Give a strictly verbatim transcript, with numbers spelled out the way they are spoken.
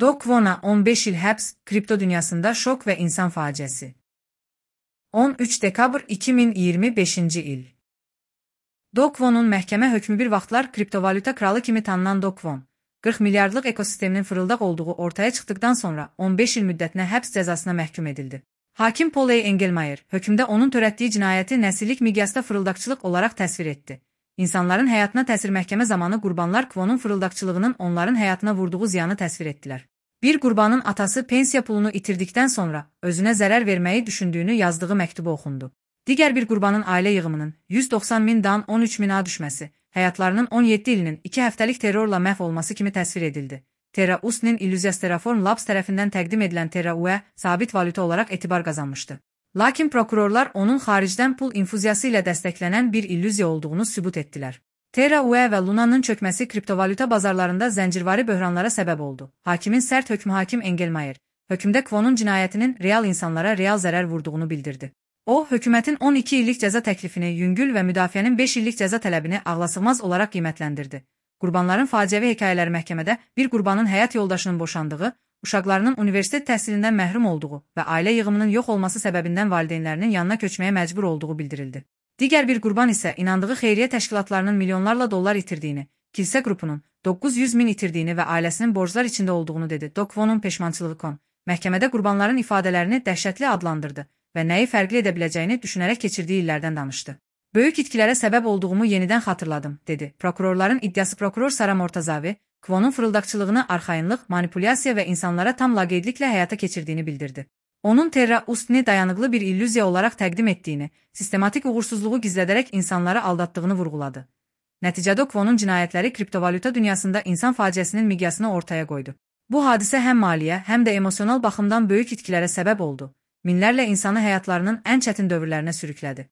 Do Kwon'a on beş il həbs, kripto dünyasında şok və insan faciəsi. on üç dekabr iki min iyirmi beşinci il. Do Kwon'un məhkəmə hökmü bir vaxtlar kriptovalyuta kralı kimi tanınan Do Kwon, qırx milyardlıq ekosisteminin fırıldaq olduğu ortaya çıxdıqdan sonra on beş il müddətinə həbs cəzasına məhkum edildi. Hakim Poley Engelmayer, hökmdə onun törətdiyi cinayəti nəsillik miqyasda fırıldaqçılıq olaraq təsvir etdi. İnsanların həyatına təsir məhkəmə zamanı qurbanlar Kwon'un fırıldaqçılığının onların həyatına vurduğu ziyanı təsvir etdilər. Bir qurbanın atası pensiya pulunu itirdikdən sonra özünə zərər verməyi düşündüyünü yazdığı məktubu oxundu. Digər bir qurbanın ailə yığımının yüz doxsan min dan on üç mina düşməsi, həyatlarının on yeddi ilinin iki həftəlik terrorla məhv olması kimi təsvir edildi. Terra Us'nin Illusias Terraform Labs tərəfindən təqdim edilən Terra U E sabit valyuta olaraq etibar qazanmışdı. Lakin prokurorlar onun xaricdən pul infuziyası ilə dəstəklənən bir illüziya olduğunu sübut etdilər. Terra U E və Luna'nın çökməsi kriptovalyuta bazarlarında zəncirvari böhranlara səbəb oldu. Hakimin sərt hökmü hakim Engelmayer, hökmdə Kwon'un cinayətinin real insanlara real zərər vurduğunu bildirdi. O, hökumətin on iki illik cəza təklifini yüngül və müdafiənin beş illik cəza tələbini ağlasığmaz olaraq qiymətləndirdi. Qurbanların faciəvi hekayələri məhkəmədə bir qurbanın həyat yoldaşının boşandığı, uşaqlarının universitet təhsilindən məhrum olduğu və ailə yığımının yox olması səbəbindən valideynlərinin yanına köçməyə məcbur olduğu bildirildi. Digər bir qurban isə inandığı xeyriyyə təşkilatlarının milyonlarla dollar itirdiyini, kilsə qrupunun doqquz yüz min itirdiyini və ailəsinin borclar içində olduğunu dedi. Do Kwon'un peşmançılığı kon, məhkəmədə qurbanların ifadələrini dəhşətli adlandırdı və nəyi fərqli edə biləcəyini düşünərək keçirdiyi illərdən danışdı. Böyük itkilərə səbəb olduğumu yenidən xatırladım, dedi. Prokurorların iddiası prokuror Sara Mortazavi, Kwon'un fırıldaqçılığını arxayınlıq, manipulyasiya və insanlara tam laqeydliklə həyata keçirdiyini bildirdi. Onun Terra Us'ni dayanıqlı bir illüziya olaraq təqdim etdiyini, sistematik uğursuzluğu gizlədərək insanları aldatdığını vurğuladı. Nəticədə Kwon'un cinayətləri kriptovalyuta dünyasında insan faciəsinin miqyasını ortaya qoydu. Bu hadisə həm maliyyə, həm də emosional baxımdan böyük itkilərə səbəb oldu. Minlərlə insanı həyatlarının ən çətin dövrlərinə sürüklədi.